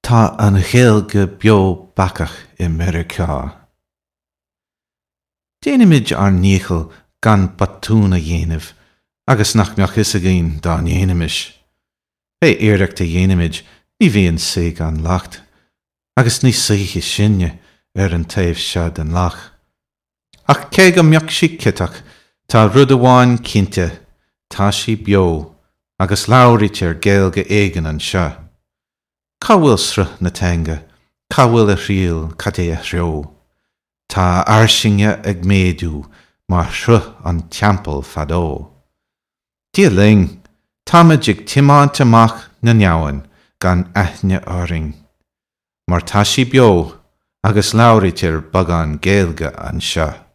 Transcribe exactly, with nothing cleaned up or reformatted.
Tá an Ghaeilge beo bacach i Meiriceá. Déanaimid ár ndícheall gan botún a dhéanamh agus nach mbeadh fhios againn dá ndéanfaimis. Pé iarracht a dhéanaimid ní bhíonn saoi gan locht, agus ní saoithe sinne ar an taobh seo den loch. Ach cé go mbeadh sí ciotach, tá rud amháin cinnte, tá sí beo, agus labhraítear Gaeilge éigin anseo. Cá bhfuil sruth na teanga, cá bhfuil a thriall, cad é a threo? Tá a fhairsinge ag méadú mar shruth an teampaill fadó. Dia linn, táimid ag tiomáint amach na n-abhann gan aithne orainn, mar tá sí beo agus labhraítear beagán Gaeilge anseo.